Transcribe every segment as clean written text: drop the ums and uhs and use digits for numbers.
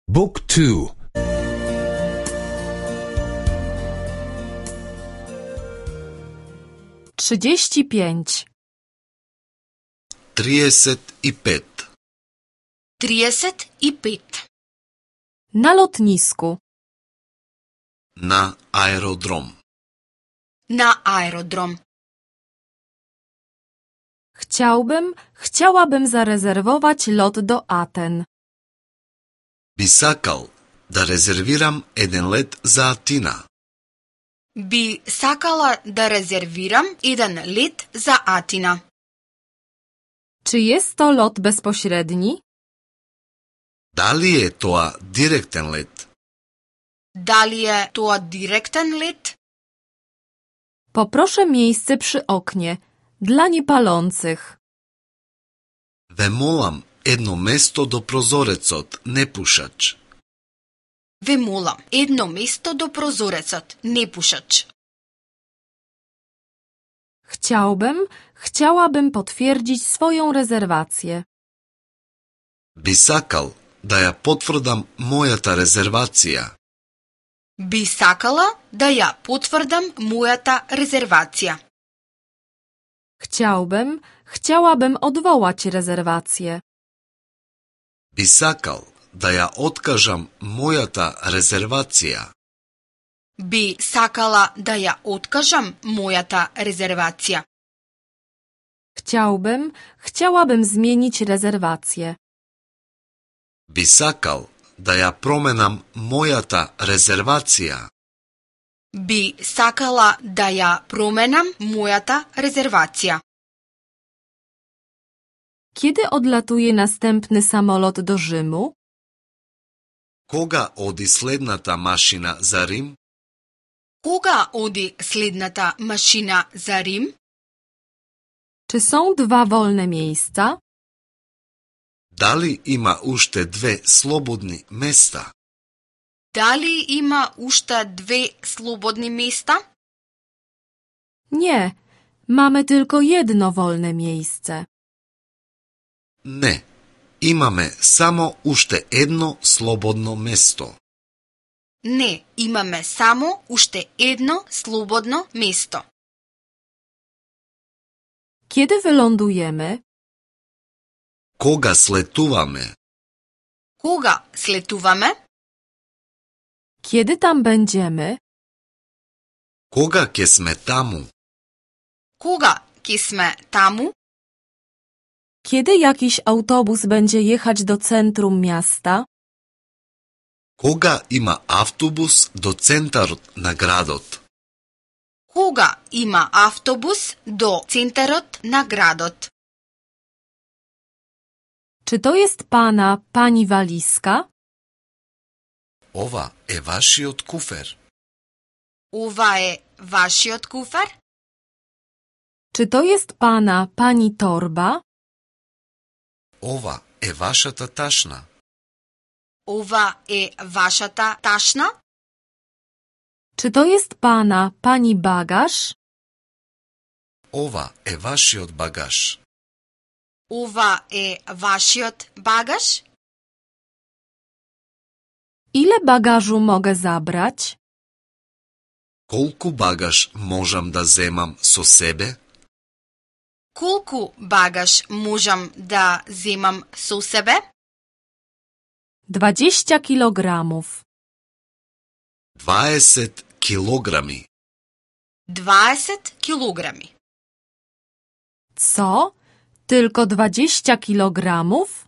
Book 2. 35. 35. 35. Na lotnisku. Na aerodrom. Na aerodrom. Chciałabym zarezerwować lot do Aten. Би сакал да резервирам еден лет за Атина. Би сакала да резервирам еден лет за Атина. Czy jest to lot bezpośredni? Дали е тоа директен лет? Дали е тоа директен лет? Poproszę miejsce przy oknie. Dla niepalących. Ве молам едно место до прозорецот, непушач. Ве молам едно место до прозорецот, непушач. Chciałabym potwierdzić swoją rezerwację. Би сакал да ја потврдам мојата резервација. Би сакала да ја потврдам мојата резервација. Chciałabym odwołać rezerwację. Би сакал да ја откажам мојата резервација. Би сакала да ја откажам мојата резервација. Chciałabym zmienić rezerwację. Би сакал да ја променам мојата резервација. Би сакала да ја променам мојата резервација. Kiedy odlatuje następny samolot do Rzymu? Кога оди следната машина за Рим? Кога оди следната машина за Рим? Czy są dwa wolne miejsca? Дали има уште две слободни места? Дали има уште две слободни места? Nie, mamy tylko jedno wolne miejsce. Не, имаме само уште едно слободно место. Не, имаме само уште едно слободно место. Kiedy wylądujemy? Кога слетуваме? Кога слетуваме? Kiedy tam będziemy? Кога ќе сме таму? Кога ќе сме таму? Kiedy jakiś autobus będzie jechać do centrum miasta? Кога има автобус до центарот на градот? Кога има автобус до центарот на градот? Czy to jest pani walizka? Ова е вашиот куфер. Ова е вашиот куфер? Czy to jest pani torba? Ова е вашата ташна. Ова е вашата ташна? Czy to jest pani bagaż? Ова е вашиот багаж. Ова е вашиот багаж? Ile bagażu mogę zabrać? Колку багаж можам да земам со себе? Колку багаж можам да земам со себе? 20 kilogramów. 20 килограми. 20 kilogrami. Co? Tylko 20 kilogramów?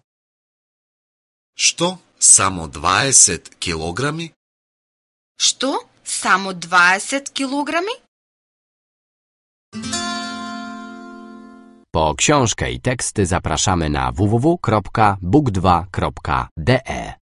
Што? Само 20 килограми? Што? Само 20 kilogrami? Po książkę i teksty zapraszamy na www.book2.de.